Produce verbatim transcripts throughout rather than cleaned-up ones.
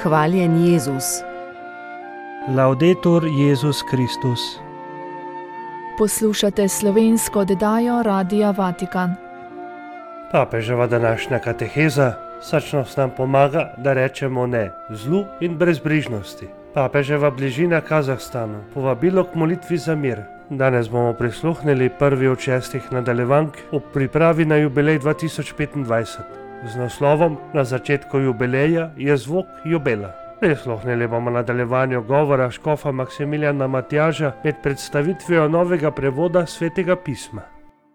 Hvaljen Jezus. Laudetur Jezus Kristus. Poslušate slovensko oddajo Radia Vatikan. Papeževa današnja kateheza srčnost nam pomaga, da rečemo ne zlu in brezbrižnosti. Papeževa bližina Kazahstanu, povabilo k molitvi za mir. Danes bomo prisluhnili prvi od šestih nadaljevank ob pripravi na jubilej dva tisoč petindvajset. Z naslovom Na začetku jubileja je zvok jubela. Prisluhnili bomo nadaljevanju govora škofa Maksimiljana Matjaža med predstavitvijo novega prevoda Svetega pisma.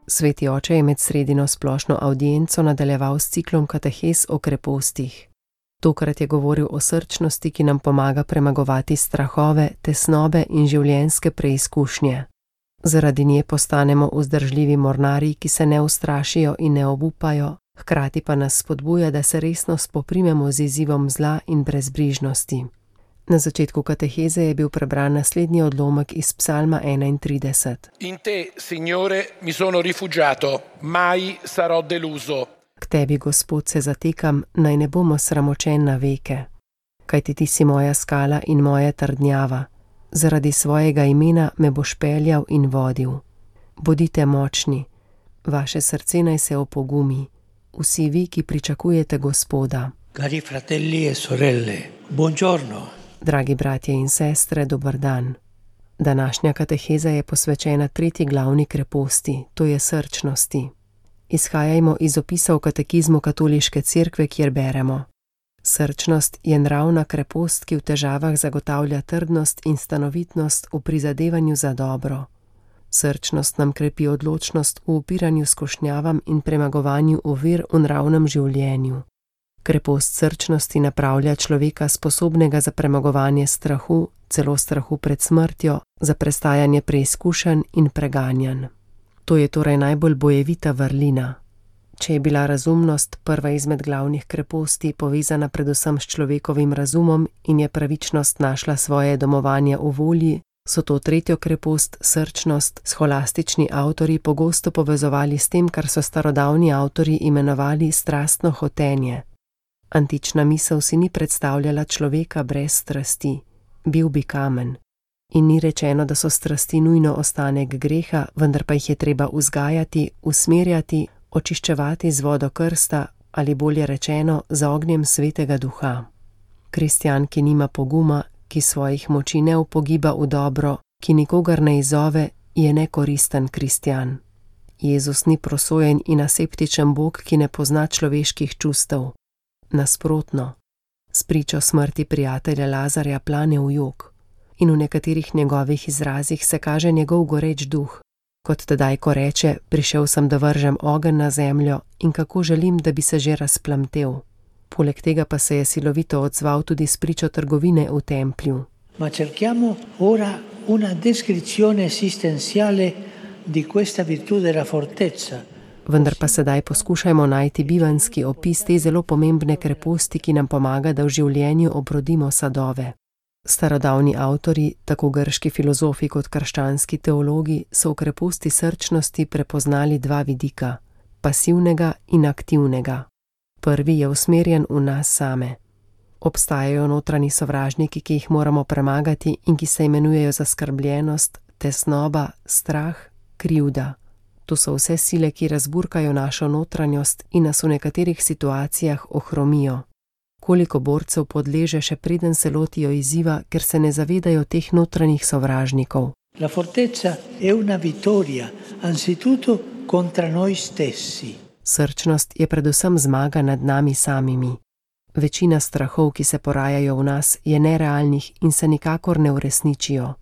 Sveti oče je med sredino splošno avdienco nadaljeval s ciklom katehez o krepostih. Tokrat je govoril o srčnosti, ki nam pomaga premagovati strahove, tesnobe in življenjske preizkušnje. Zaradi nje postanemo vzdržljivi mornarji, ki se ne ustrašijo in ne obupajo, hkrati pa nas spodbuja, da se resno spoprimemo z izzivom zla in brezbrižnosti. Na začetku kateheze je bil prebran naslednji odlomek iz Psalma enaintrideset. In te, Signore, mi sono rifugiato, mai sarò deluso. K tebi, Gospod, se zatekam, naj ne bomo sramočen na veke. Kajti ti si moja skala in moja trdnjava. Zaradi svojega imena me boš peljal in vodil. Bodite močni, vaše srce naj se opogumi. Vsi vi, ki pričakujete Gospoda. Cari fratelli e sorelle, buongiorno. Dragi bratje in sestre, dober dan. Današnja kateheza je posvečena tretji glavni kreposti, to je srčnosti. Izhajajmo iz opisa v katekizmu Katoliške cerkve, kjer beremo: srčnost je nravna krepost, ki v težavah zagotavlja trdnost in stanovitnost v prizadevanju za dobro. Srčnost nam krepi odločnost v upiranju skušnjavam in premagovanju ovir v nravnem življenju. Krepost srčnosti napravlja človeka sposobnega za premagovanje strahu, celo strahu pred smrtjo, za prestajanje preizkušenj in preganjanj. To je torej najbolj bojevita vrlina. Če je bila razumnost prva izmed glavnih kreposti povezana predvsem s človekovim razumom in je pravičnost našla svoje domovanje v volji, so to tretjo krepost, srčnost, scholastični avtorji pogosto povezovali s tem, kar so starodavni avtorji imenovali strastno hotenje. Antična misel si ni predstavljala človeka brez strasti, bil bi kamen. In ni rečeno, da so strasti nujno ostanek greha, vendar pa jih je treba vzgajati, usmerjati, očiščevati z vodo krsta ali bolje rečeno z ognjem Svetega Duha. Kristjan, ki nima poguma, ki svojih moči ne upogiba v dobro, ki nikogar ne izzove, je nekoristen kristjan. Jezus ni prosojen in aseptičen Bog, ki ne pozna človeških čustev. Nasprotno, s pričo smrti prijatelja Lazarja plane v jok in v nekaterih njegovih izrazih se kaže njegov goreč duh, kot tedaj, ko reče: prišel sem, da vržem ogenj na zemljo in kako želim, da bi se že razplamtel. Poleg tega pa se je silovito odzval tudi s pričo trgovine v templju. Ma cerchiamo ora una descrizione esistenziale di questa virtù della fortezza. Vendar pa sedaj poskušajmo najti bivanjski opis te zelo pomembne kreposti, ki nam pomaga, da v življenju obrodimo sadove. Starodavni avtorji, tako grški filozofi kot krščanski teologi, so v kreposti srčnosti prepoznali dva vidika, pasivnega in aktivnega. Prvi je usmerjen v nas same. Obstajajo notranji sovražniki, ki jih moramo premagati in ki se imenujejo zaskrbljenost, tesnoba, strah, krivda. To so vse sile, ki razburkajo našo notranjost in nas v nekaterih situacijah ohromijo. Koliko borcev podleže, še preden se lotijo izziva, ker se ne zavedajo teh notranjih sovražnikov. La fortezza è una vittoria, anzitutto contra noi stessi. Srčnost je predvsem zmaga nad nami samimi. Večina strahov, ki se porajajo v nas, je nerealnih in se nikakor ne uresničijo.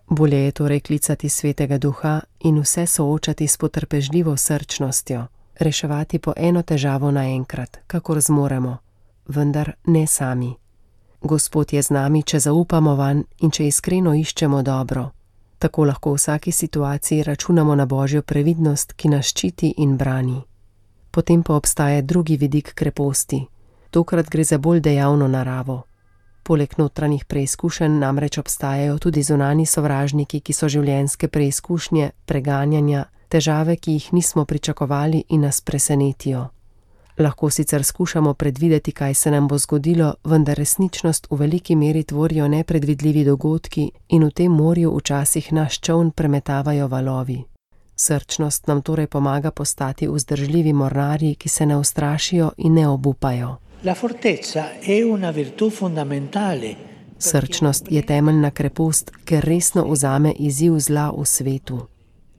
Bolje je torej klicati Svetega Duha in vse soočati s potrpežljivo srčnostjo, reševati po eno težavo naenkrat, kakor zmoremo, vendar ne sami. Gospod je z nami, če zaupamo vanj in če iskreno iščemo dobro. Tako lahko v vsaki situaciji računamo na Božjo previdnost, ki nas ščiti in brani. Potem pa obstaja drugi vidik kreposti. Tokrat gre za bolj dejavno naravo. Poleg notranjih preizkušenj namreč obstajajo tudi zunanji sovražniki, ki so življenjske preizkušnje, preganjanja, težave, ki jih nismo pričakovali in nas presenetijo. Lahko sicer skušamo predvideti, kaj se nam bo zgodilo, vendar resničnost v veliki meri tvorijo nepredvidljivi dogodki in v tem morju včasih naš čoln premetavajo valovi. Srčnost nam torej pomaga postati vzdržljivi mornarji, ki se ne ustrašijo in ne obupajo. La fortezza è una virtù fondamentale. Srčnost je temeljna krepost, ker resno vzame izziv zla v svetu.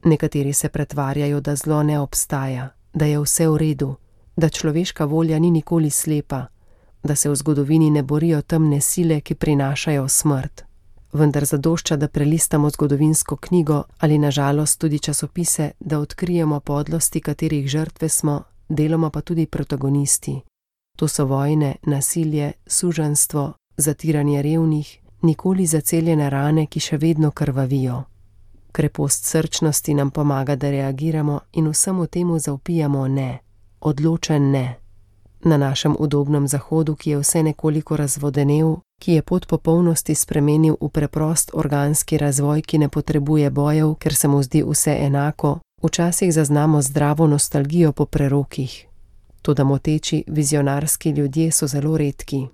Nekateri se pretvarjajo, da zlo ne obstaja, da je vse v redu, da človeška volja ni nikoli slepa, da se v zgodovini ne borijo temne sile, ki prinašajo smrt. Vendar zadošča, da prelistamo zgodovinsko knjigo ali na žalost tudi časopise, da odkrijemo podlosti, katerih žrtve smo, deloma pa tudi protagonisti. To so vojne, nasilje, suženjstvo, zatiranje revnih, nikoli zaceljene rane, ki še vedno krvavijo. Krepost srčnosti nam pomaga, da reagiramo in vsemu temu zavpijamo ne, odločen ne. Na našem udobnem zahodu, ki je vse nekoliko razvodenel, ki je pot popolnosti spremenil v preprost organski razvoj, ki ne potrebuje bojev, ker se mu zdi vse enako, včasih zaznamo zdravo nostalgijo po prerokih. Toda moteči, vizionarski ljudje so zelo redki.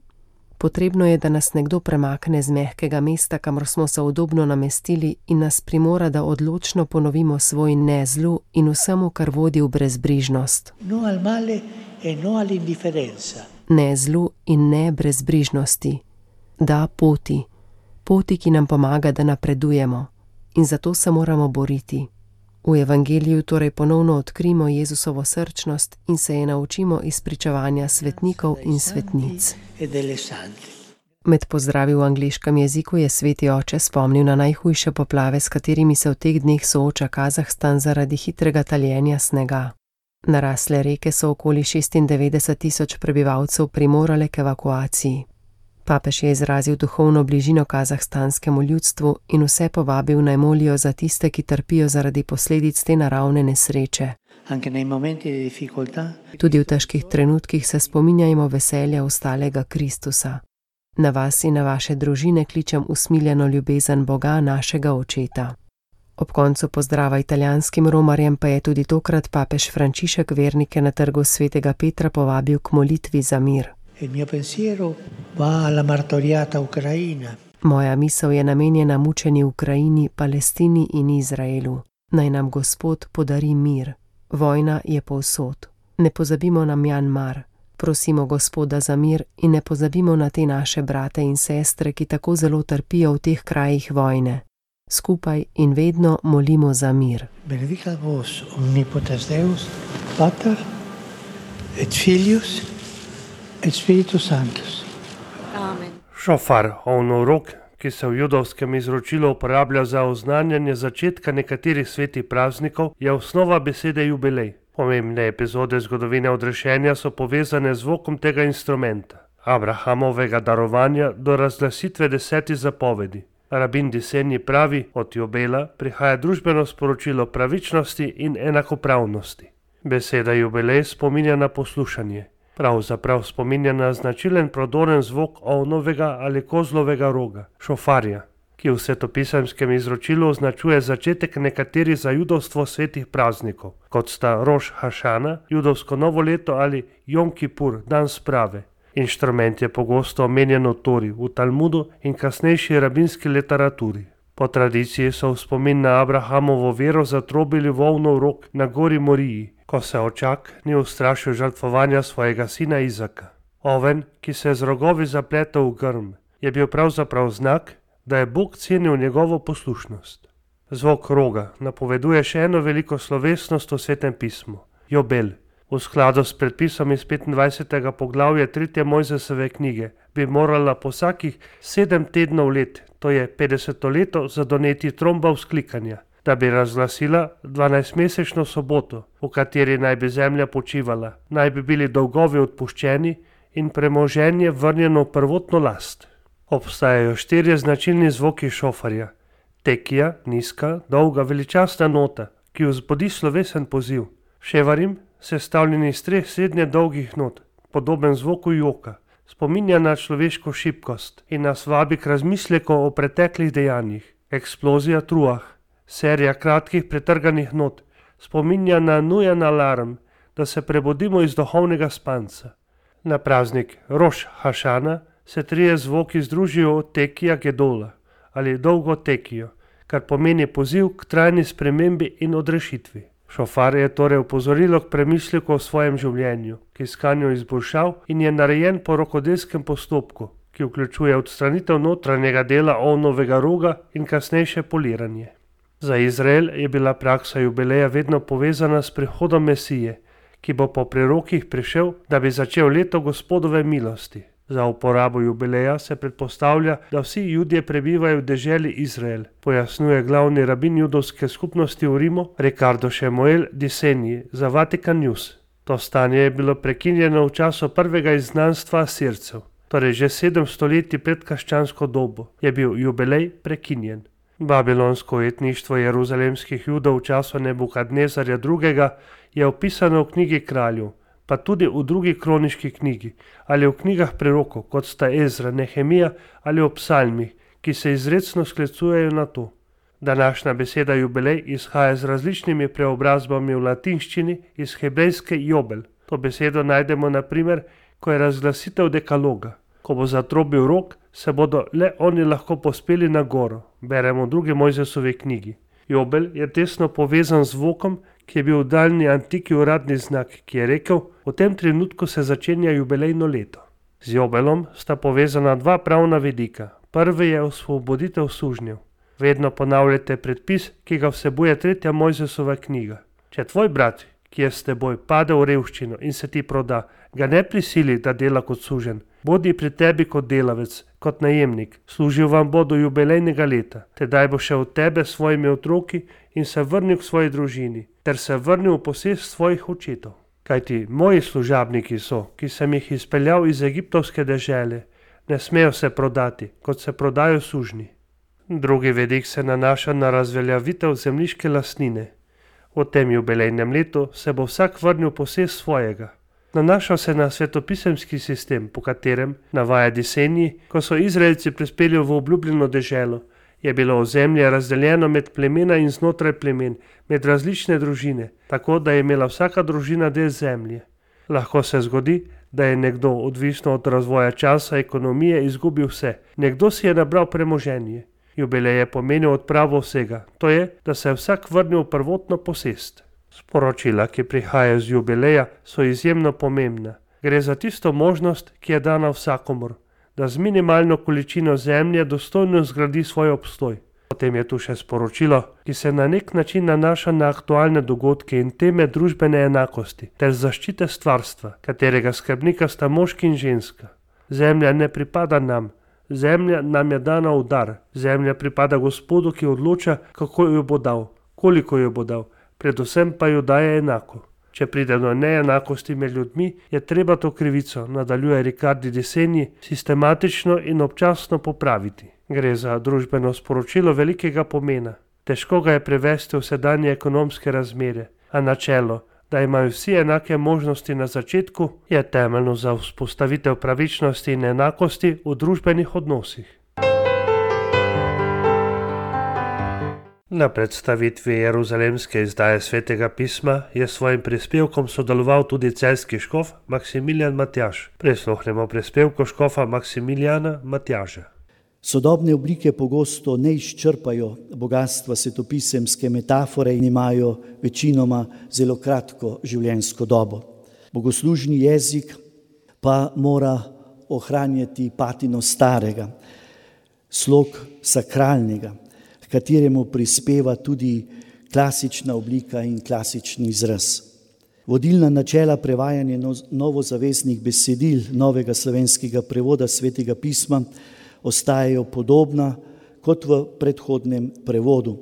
Potrebno je, da nas nekdo premakne z mehkega mesta, kamor smo se udobno namestili in nas primora, da odločno ponovimo svoj ne zlu in vsemu, kar vodi v brezbrižnost. No al male e no all'indifferenza. Ne zlu in ne brezbrižnosti. Da poti. Poti, ki nam pomaga, da napredujemo. In zato se moramo boriti. V evangeliju torej ponovno odkrimo Jezusovo srčnost in se je naučimo iz pričevanja svetnikov in svetnic. Med pozdravi v angleškem jeziku je sveti oče spomnil na najhujše poplave, s katerimi se v teh dneh sooča Kazahstan zaradi hitrega taljenja snega. Narasle reke so okoli šestindevetdeset tisoč prebivalcev primorale k evakuaciji. Papež je izrazil duhovno bližino kazahstanskemu ljudstvu in vse povabil naj molijo za tiste, ki trpijo zaradi posledic te naravne nesreče. Tudi v težkih trenutkih se spominjajmo veselja ustalega Kristusa. Na vas in na vaše družine kličem usmiljeno ljubezen Boga, našega Očeta. Ob koncu pozdrava italijanskim romarjem pa je tudi tokrat papež Frančišek vernike na trgu svetega Petra povabil k molitvi za mir. Il mio pensiero va alla martoriata Ucraina. Moja misel je namenjena mučeni Ukrajini, Palestini in Izraelu. Naj nam Gospod podari mir. Vojna je povsod. Ne pozabimo na Mjanmar. Prosimo Gospoda za mir in ne pozabimo na te naše brate in sestre, ki tako zelo trpijo v teh krajih vojne. Skupaj in vedno molimo za mir. Benedicat vos omnipotens Deus, Pater et Filius et Spiritus Sanctus. Amen. Šofar, ovnorok, ki se v judovskem izročilu uporablja za oznanjanje začetka nekaterih svetih praznikov, je osnova besede jubilej. Pomembne epizode zgodovine odrešenja so povezane z zvokom tega instrumenta, Abrahamovega darovanja do razglasitve desetih zapovedi. Rabin Disenji pravi, od jubela prihaja družbeno sporočilo pravičnosti in enakopravnosti. Beseda jubilej spominja na poslušanje. Pravzaprav spominja na značilen prodoren zvok ovnovega ali kozlovega roga, šofarja, ki v svetopisemskem izročilu označuje začetek nekaterih za judovstvo svetih praznikov, kot sta Roš Hašana, judovsko novo leto ali Jom Kipur, dan sprave. Inštrument je pogosto omenjen v Tori, v Talmudu in kasnejši rabinski literaturi. Po tradiciji so v spomin na Abrahamovo vero zatrobili volnov rog na gori Moriji, ko se očak ni ustrašil žrtvovanja svojega sina Izaka. Oven, ki se je z rogovi zapletel v grm, je bil pravzaprav znak, da je Bog cenil njegovo poslušnost. Zvok roga napoveduje še eno veliko slovesnost v Svetem pismu, jobel. V skladu s predpisom iz petindvajsetega poglavja tretje Mojzesove knjige bi morala po vsakih sedem tednov let, to je petdeseto leto, zadoneti tromba vzklikanja, da bi razglasila dvanajstmesečno soboto, v kateri naj bi zemlja počivala, naj bi bili dolgovi odpuščeni in premoženje vrnjeno v prvotno last. Obstajajo štirje značilni zvoki šofarja. Tekija, nizka, dolga, veličastna nota, ki vzbudi slovesen poziv. Ševarim, sestavljen iz treh srednje dolgih not, podoben zvoku joka, spominja na človeško šibkost in nas vabi k razmisleku o preteklih dejanjih. Eksplozija truah, serija kratkih pretrganih not, spominja na nujen alarm, da se prebudimo iz duhovnega spanca. Na praznik Roš Hašana se trije zvoki združijo tekija gedola ali dolgo tekijo, kar pomeni poziv k trajni spremembi in odrešitvi. Šofar je torej opozorilo k premisleku o svojem življenju, k iskanju izboljšav in je narejen po rokodelskem postopku, ki vključuje odstranitev notranjega dela ovnovega roga in kasnejše poliranje. Za Izrael je bila praksa jubileja vedno povezana s prihodom Mesije, ki bo po prerokih prišel, da bi začel leto Gospodove milosti. Za uporabo jubileja se predpostavlja, da vsi Judje prebivajo v deželi Izrael, pojasnjuje glavni rabin judovske skupnosti v Rimu Riccardo Shemuel di Segni za Vatican News. To stanje je bilo prekinjeno v času prvega izgnanstva Asircev, torej že sedem stoletij pred krščansko dobo je bil jubilej prekinjen. Babilonsko ujetništvo jeruzalemskih Judov v času Nebukadnezarja drugega je opisano v knjigi kraljev, pa tudi v drugi kroniški knjigi ali v knjigah prerokov, kot sta Ezra, Nehemija ali v psalmih, ki se izrecno sklicujejo na to. Današnja beseda jubilej izhaja z različnimi preobrazbami v latinščini iz hebrejske jobel. To besedo najdemo na primer, ko je razglasitev dekaloga. Ko bo zatrobil rog, se bodo le oni lahko pospeli na goro, beremo v drugi Mojzesovi knjigi. Jobel je tesno povezan z zvokom, ki je bil v daljni antiki uradni znak, ki je rekel, v tem trenutku se začenja jubilejno leto. Z jobelom sta povezana dva pravna vidika. Prvi je osvoboditev sužnjev. Vedno ponavljate predpis, ki ga vsebuje tretja Mojzesova knjiga. Če tvoj brat, ki je s teboj, pade v revščino in se ti proda, ga ne prisili, da dela kot suženj. Bodi pri tebi kot delavec, kot najemnik, služil vam bo do jubilejnega leta, tedaj bo šel od tebe s svojimi otroki in se vrnil k svoji družini, ter se vrnil v posest svojih očetov. Kajti moji služabniki so, ki sem jih izpeljal iz egiptovske dežele, ne smejo se prodati, kot se prodajo sužnji. Drugi vidik se nanaša na razveljavitev zemljiške lastnine. V tem jubilejnem letu se bo vsak vrnil v posest svojega. Nanaša se na svetopisemski sistem, po katerem, navaja di Segni, ko so Izraelci prispeli v obljubljeno deželo, je bilo ozemlje razdeljeno med plemena in znotraj plemen, med različne družine, tako da je imela vsaka družina del zemlje. Lahko se zgodi, da je nekdo, odvisno od razvoja časa, ekonomije, izgubil vse. Nekdo si je nabral premoženje. Jubilej je pomenil odpravo vsega, to je, da se je vsak vrnil v prvotno posest. Sporočila, ki prihajajo z jubileja, so izjemno pomembna. Gre za tisto možnost, ki je dana vsakomur, da z minimalno količino zemlje dostojno zgradi svoj obstoj. Potem je tu še sporočilo, ki se na nek način nanaša na aktualne dogodke in teme družbene enakosti ter zaščite stvarstva, katerega skrbnika sta moški in ženska. Zemlja ne pripada nam, zemlja nam je dana v dar, zemlja pripada Gospodu, ki odloča, kako jo bo dal, koliko jo bo dal. Predvsem pa jo daje enako. Če pride do neenakosti med ljudmi, je treba to krivico, nadaljuje Riccardo di Segni, sistematično in občasno popraviti. Gre za družbeno sporočilo velikega pomena. Težko ga je prevesti v sedanje ekonomske razmere, a načelo, da imajo vsi enake možnosti na začetku, je temeljno za vzpostavitev pravičnosti in enakosti v družbenih odnosih. Na predstavitvi jeruzalemske izdaje Svetega pisma je s svojim prispevkom sodeloval tudi celjski škof Maksimilijan Matjaž. Prisluhnemo prispevku škofa Maksimilijana Matjaža. Sodobne oblike pogosto ne izčrpajo bogatstva svetopisemske metafore in imajo večinoma zelo kratko življenjsko dobo. Bogoslužni jezik pa mora ohranjati patino starega, slog sakralnega, kateremu prispeva tudi klasična oblika in klasični izraz. Vodilna načela prevajanja novozaveznih besedil novega slovenskega prevoda Svetega pisma ostajajo podobna kot v predhodnem prevodu.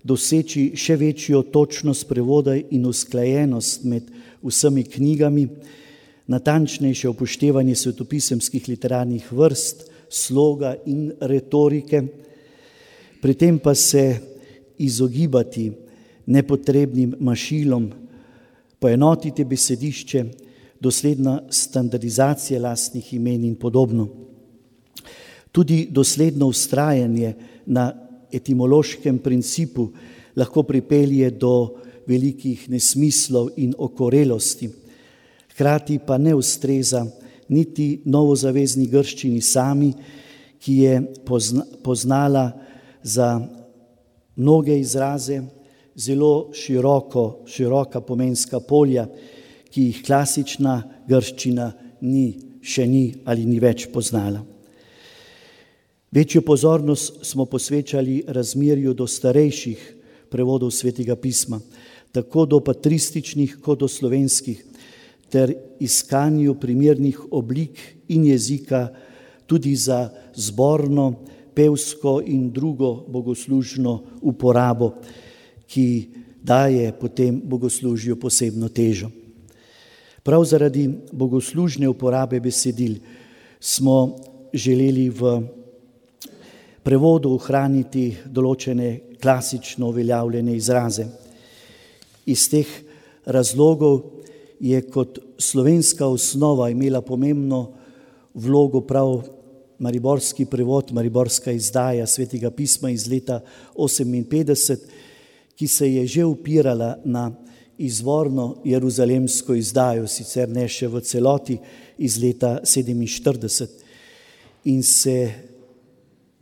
Doseči še večjo točnost prevoda in usklajenost med vsemi knjigami, natančnejše upoštevanje svetopisemskih literarnih vrst, sloga in retorike, pri tem pa se izogibati nepotrebnim mašilom, poenotiti besedišče, dosledna standardizacija lastnih imen in podobno. Tudi dosledno vztrajanje na etimološkem principu lahko pripelje do velikih nesmislov in okorelosti. Hkrati pa ne ustreza niti novozavezni grščini sami, ki je poznala za mnoge izraze zelo široko, široka pomenska polja, ki jih klasična grščina ni, še ni ali ni več poznala. Večjo pozornost smo posvečali razmerju do starejših prevodov Svetega pisma, tako do patrističnih kot do slovenskih, ter iskanju primernih oblik in jezika tudi za zborno, pevsko in drugo bogoslužno uporabo, ki daje potem bogoslužju posebno težo. Prav zaradi bogoslužne uporabe besedil smo želeli v prevodu ohraniti določene klasično uveljavljene izraze. Iz teh razlogov je kot slovenska osnova imela pomembno vlogo prav mariborski prevod, mariborska izdaja Svetega pisma iz leta oseminpetdeset, ki se je že upirala na izvorno jeruzalemsko izdajo, sicer ne še v celoti, iz leta sedeminštirideset. In se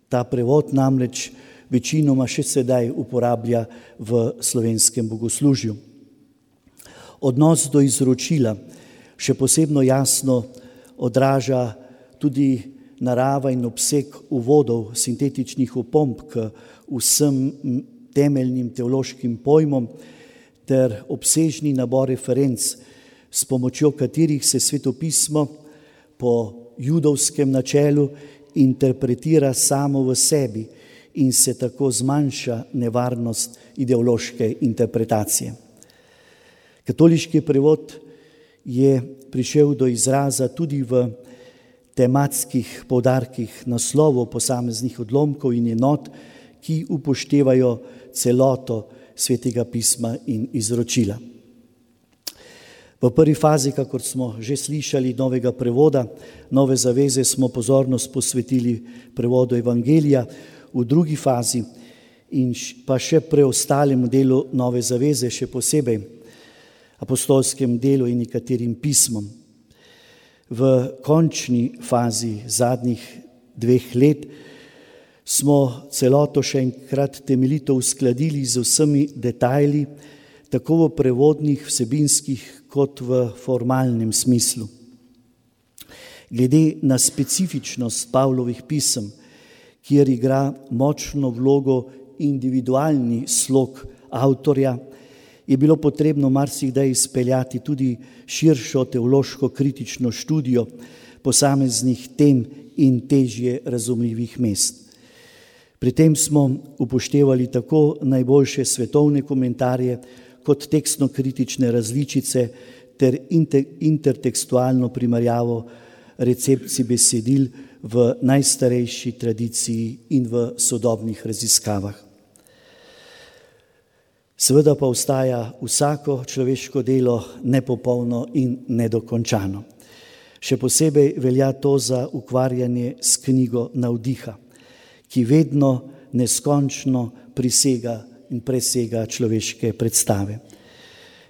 ta prevod namreč večinoma še sedaj uporablja v slovenskem bogoslužju. Odnos do izročila še posebno jasno odraža tudi narava in obseg uvodov, sintetičnih opomb k vsem temeljnim teološkim pojmom ter obsežni nabor referenc, s pomočjo katerih se svetopismo po judovskem načelu interpretira samo v sebi in se tako zmanjša nevarnost ideološke interpretacije. Katoliški prevod je prišel do izraza tudi v tematskih poudarkih naslovov posameznih odlomkov in enot, ki upoštevajo celoto Svetega pisma in izročila. V prvi fazi, kakor smo že slišali, novega prevoda, nove zaveze smo pozornost posvetili prevodu Evangelija, v drugi fazi in pa še preostalemu delu nove zaveze, še posebej apostolskem delu in nekaterim pismom. V končni fazi zadnjih dveh let smo celoto še enkrat temeljito uskladili z vsemi detajli, tako v prevodnih, vsebinskih kot v formalnem smislu. Glede na specifičnost Pavlovih pisem, kjer igra močno vlogo individualni slog avtorja, je bilo potrebno marsikdaj izpeljati tudi širšo teološko kritično študijo posameznih tem in težje razumljivih mest. Pri tem smo upoštevali tako najboljše svetovne komentarje kot tekstno-kritične različice ter intertekstualno primerjavo recepcij besedil v najstarejši tradiciji in v sodobnih raziskavah. Seveda pa ostaja vsako človeško delo nepopolno in nedokončano. Še posebej velja to za ukvarjanje s knjigo Navdiha, ki vedno neskončno prisega in presega človeške predstave.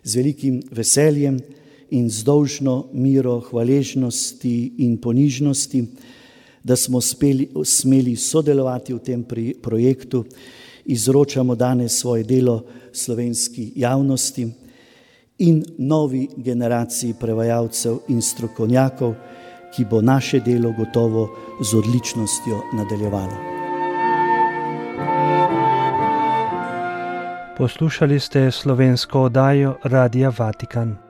Z velikim veseljem in z dolžno miro hvaležnosti in ponižnosti, da smo speli, smeli sodelovati v tem projektu, izročamo danes svoje delo slovenski javnosti in novi generaciji prevajalcev in strokovnjakov, ki bo naše delo gotovo z odličnostjo nadaljevalo. Poslušali ste slovensko oddajo Radia Vatikan.